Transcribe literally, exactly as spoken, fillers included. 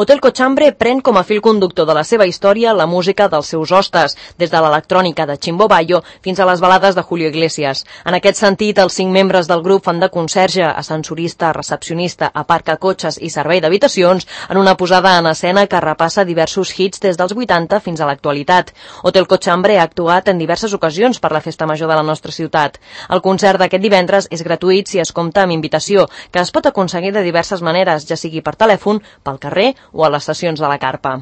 Hotel Cochambre pren com a fil conductor de la seva història la música dels seus hostes, des de l'electrònica de Chimbo Bayo fins a les balades de Julio Iglesias. En aquest sentit, els cinc membres del grup fan de conserge, ascensorista, recepcionista, aparcacotxes i servei d'habitacions en una posada en escena que repassa diversos hits des dels vuitanta fins a l'actualitat. Hotel Cochambre ha actuat en diverses ocasions per la festa major de la nostra ciutat. El concert d'aquest divendres és gratuït si es compta amb invitació, que es pot aconseguir de diverses maneres, ja sigui per telèfon, pel carrer o a les sessions de la carpa.